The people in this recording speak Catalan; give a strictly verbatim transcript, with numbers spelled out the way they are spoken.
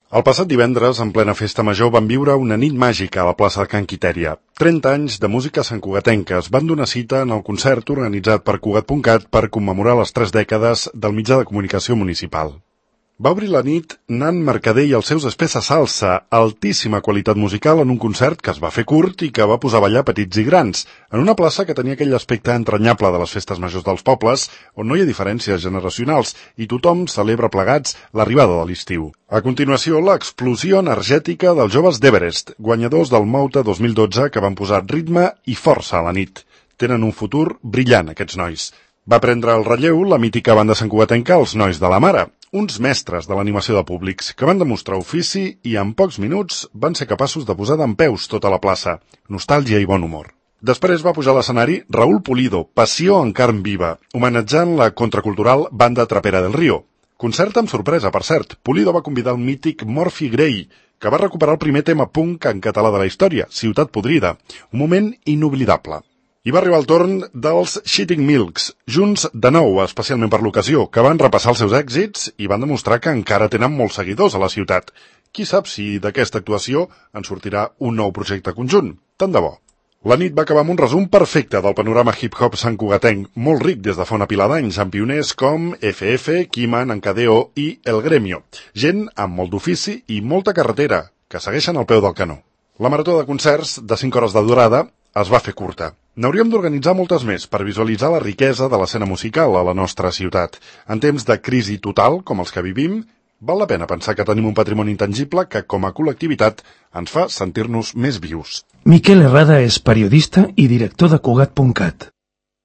El passat divendres, en plena festa major, van viure una nit màgica a la plaça de Can Quitèria. trenta anys de música santcugatenca van donar cita en el concert organitzat per Cugat punt cat per commemorar les tres dècades del mitjà de comunicació municipal. Va obrir la nit Nan Mercader i els seus espessa salsa, altíssima qualitat musical en un concert que es va fer curt i que va posar a ballar petits i grans, en una plaça que tenia aquell aspecte entranyable de les festes majors dels pobles, on no hi ha diferències generacionals i tothom celebra plegats l'arribada de l'estiu. A continuació, l'explosió energètica dels joves d'Everest, guanyadors del Mouta dos mil dotze que van posar ritme i força a la nit. Tenen un futur brillant, aquests nois. Va prendre el relleu la mítica banda santcugatenca Els Nois de la Mare, uns mestres de l'animació de públics que van demostrar ofici i en pocs minuts van ser capaços de posar dempeus tota la plaça, nostàlgia i bon humor. Després va pujar a l'escenari Raúl Pulido, passió en carn viva, homenatjant la contracultural banda Trapera del Río. Concert amb sorpresa, per cert. Pulido va convidar el mític Morphy Grey, que va recuperar el primer tema punk en català de la història, Ciutat Podrida, un moment inoblidable. I va arribar el torn dels Shitting Milks, junts de nou, especialment per l'ocasió, que van repassar els seus èxits i van demostrar que encara tenen molts seguidors a la ciutat. Qui sap si d'aquesta actuació en sortirà un nou projecte conjunt? Tant de bo. La nit va acabar amb un resum perfecte del panorama hip-hop santcugatenc, molt ric des de fa una pila d'anys, amb pioners com F F, Kiman, Encadeo i El Gremio. Gent amb molt d'ofici i molta carretera, que segueixen al peu del canó. La marató de concerts, de cinc hores de durada, es va fer curta. N'hauríem d'organitzar moltes més per visualitzar la riquesa de l'escena musical a la nostra ciutat. En temps de crisi total, com els que vivim, val la pena pensar que tenim un patrimoni intangible que, com a col·lectivitat, ens fa sentir-nos més vius. Miquel Herrada és periodista i director de Cugat punt cat.